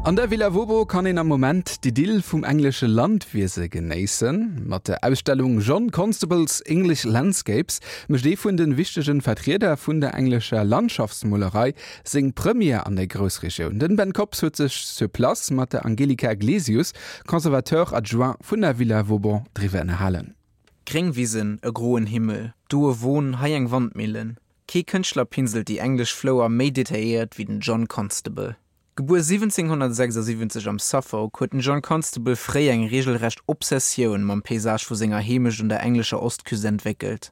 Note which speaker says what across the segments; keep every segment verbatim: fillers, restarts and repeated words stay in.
Speaker 1: An der Villa Vauban kann een am Moment d'Idyll vum englesche Landwiese genéissen. Mat der Ausstellung John Constable's English Landscapes mécht ee vun de wichtege Vertrieder vun der englescher Landschaftsmolerei seng Première an der Groussregioun. Den Ben Kops huet sech sur place mat der Angelika Glesius, Conservateur adjoint vun der Villa Vauban, driwwer ënnerhalen.
Speaker 2: Gréng Wisen, e groen Himmel, do e Won, hei eng Wandmillen. Kee Kënschtler pinselt déi englesch Flouer méi detailléiert wéi den John Constable. Gebuer siwwenzénghonnertsechsasiwwenzeg am Suffolk, huet den John Constable fréi eng reegelrecht Obsessioun mam Paysage vu senger Heemecht un der englescher Ostküst entwéckelt.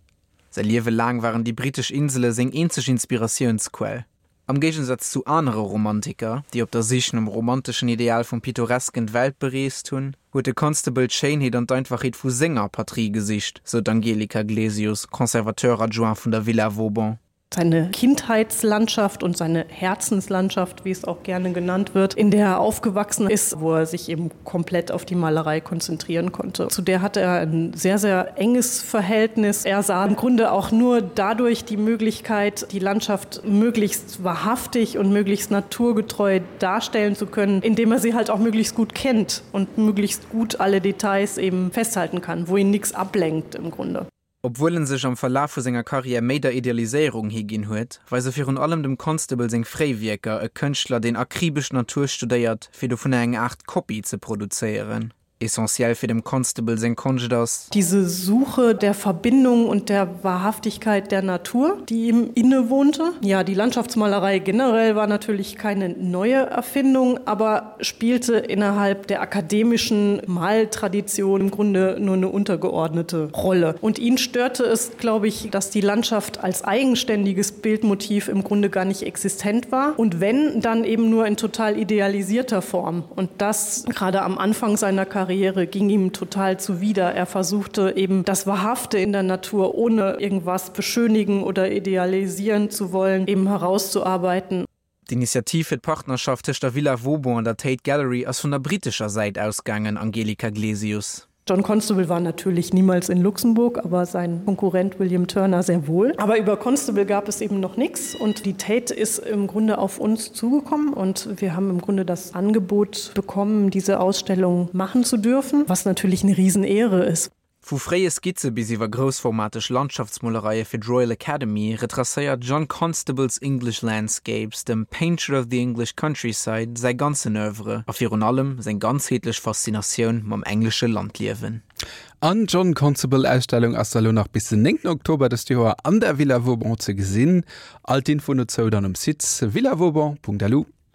Speaker 2: Säi Liewe laang waren déi brittesch Insele seng eenzeg Inspiratiounsquell. Am Géigensaz zu anere Romantiker, déi op der Sich nom romanteschen Ideal vum Pittoresken d'Welt bereest hunn, huet de Constable d'Schéinheet an d'Einfachheet vu senger Patrie gesicht, sou d'Angelika Glesius, Conservateur adjoint vun der Villa Vauban.
Speaker 3: Seine Kindheitslandschaft und seine Herzenslandschaft, wie es auch gerne genannt wird, in der er aufgewachsen ist, wo er sich eben komplett auf die Malerei konzentrieren konnte. Zu der hatte er ein sehr, sehr enges Verhältnis. Er sah im Grunde auch nur dadurch die Möglichkeit, die Landschaft möglichst wahrhaftig und möglichst naturgetreu darstellen zu können, indem er sie halt auch möglichst gut kennt und möglichst gut alle Details eben festhalten kann, wo ihn nichts ablenkt im Grunde.
Speaker 2: Obwuel en sech am Verlaf vu senger Karriär méi der Idealiséierung higinn huet, weise virun allem dem Constable seng fréi Wierker e Kënschtler, deen akribesch d'Natur studéiert, fir dovunner eng Aart Kopie ze produzéieren. Essentiell fir dem Constable seng Konscht ass.
Speaker 3: Diese Suche der Verbindung und der Wahrhaftigkeit der Natur, die ihm innewohnte. Ja, die Landschaftsmalerei generell war natürlich keine neue Erfindung, aber spielte innerhalb der akademischen Maltradition im Grunde nur eine untergeordnete Rolle. Und ihn störte es, glaube ich, dass die Landschaft als eigenständiges Bildmotiv im Grunde gar nicht existent war und wenn, dann eben nur in total idealisierter Form. Und das gerade am Anfang seiner Karriere ging ihm total zuwider. Er versuchte eben das Wahrhafte in der Natur, ohne irgendwas beschönigen oder idealisieren zu wollen, eben herauszuarbeiten.
Speaker 2: D'Initiativ fir d'Partnerschaft tëscht der Villa Vauban an der Tate Gallery ass vun der brittescher Säit ausgaangen, Angelika Glesius.
Speaker 3: John Constable war natürlich niemals in Luxemburg, aber sein Konkurrent William Turner sehr wohl. Aber über Constable gab es eben noch nichts und die Tate ist im Grunde auf uns zugekommen und wir haben im Grunde das Angebot bekommen, diese Ausstellung machen zu dürfen, was natürlich eine Riesenehre ist.
Speaker 2: Vu fréie Skizze bis iwwer groussformateg Landschaftsmolereie fir d'Royal Academy retracéiert John Constable's English Landscapes dem Painter of the English Countryside säi ganzen Oeuvre a virun allem seng ganzheetlech Faszinatioun mam englesche Landliewen.
Speaker 1: An John Constable Ausstellung ass elo nach bis den néngten Oktober dëst Joer an der Villa Vauban ze gesinn. All d'Infoen dozou dann um Site villavauban Punkt lu.